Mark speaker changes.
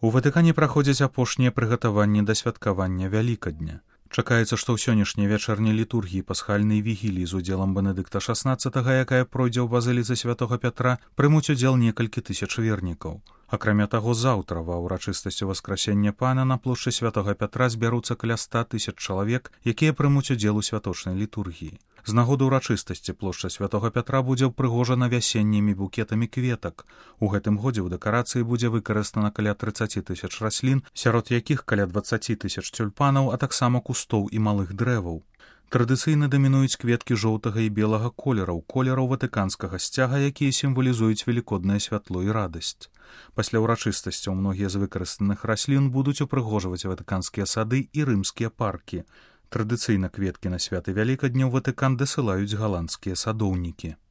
Speaker 1: У Ватыкане праходзяць апошнія прыгатаванні да святкавання Вялікадня. Чакаецца, што ў сённяшняй вячэрняй літургіі пасхальнай вігіліі з удзелам Бенедыкта XVI, якая пройдзе ў базыліцы святога Пятра, прымуць удзел некалькі тысяч вернікаў. Акрамя таго, заўтра ва ўрачыстасці Васкрасення Пана на плошчы святога Пятра збяруцца каля 100 000 чалавек, якія прымуць удзел у святочнай літургіі. З нагоды ўрачыстасці плошча святога Пятра будзе ўпрыгожана вясеннімі букетамі кветак. У гэтым годзе ў дэкарацыі будзе выкарыстана каля 30 000 раслін, сярод якіх каля 20 000 тюльпанаў, а таксама кустоў і малых дрэваў. Традыцыйна дамінуюць кветкі жоўтага і белага колераў, колераў ватыканскага сцяга, якія сімвалізуюць велікоднае святло і радасць. Пасля ўрачыстасцяў многія з выкарыстаных раслін будуць упрыгожваць ватыканскія сады і рымскія паркі. Традыцыйна кветкі на святы Вялікадня ў Ватыкан дасылаюць галандскія садоўнікі.